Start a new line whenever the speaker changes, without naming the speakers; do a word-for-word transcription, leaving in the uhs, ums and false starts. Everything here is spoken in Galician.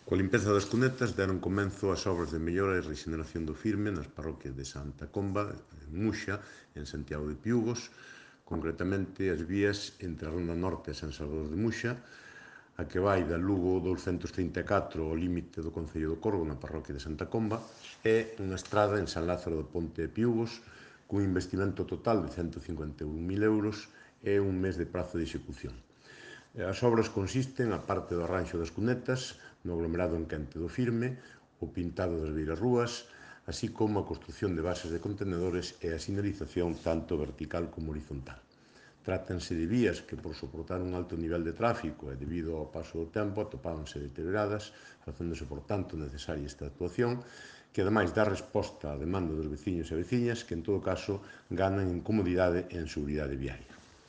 Coa limpeza das cunetas deron comenzo as obras de mellora e rexeneración do firme nas parroquias de Santa Comba, en Muxa, en Santiago de Piúgos, concretamente as vías entre a Ronda Norte e San Salvador de Muxa, a que vai da Lugo douscentos trinta e catro ao límite do Concello do Corgo na parroquia de Santa Comba, e unha estrada en San Lázaro do Ponte de Piúgos, cun investimento total de cento cincuenta e un mil euros e un mes de prazo de execución. As obras consisten, a parte do arranxo das cunetas, no aglomerado enquente do firme, o pintado das beirarrúas, así como a construción de bases de contenedores e a sinalización tanto vertical como horizontal. Trátanse de vías que, por soportar un alto nivel de tráfico e debido ao paso do tempo, atopábanse deterioradas, facéndose, por tanto, necesaria esta actuación, que ademais dá resposta á demanda dos veciños e veciñas que, en todo caso, ganan en comodidade e en seguridade viaria.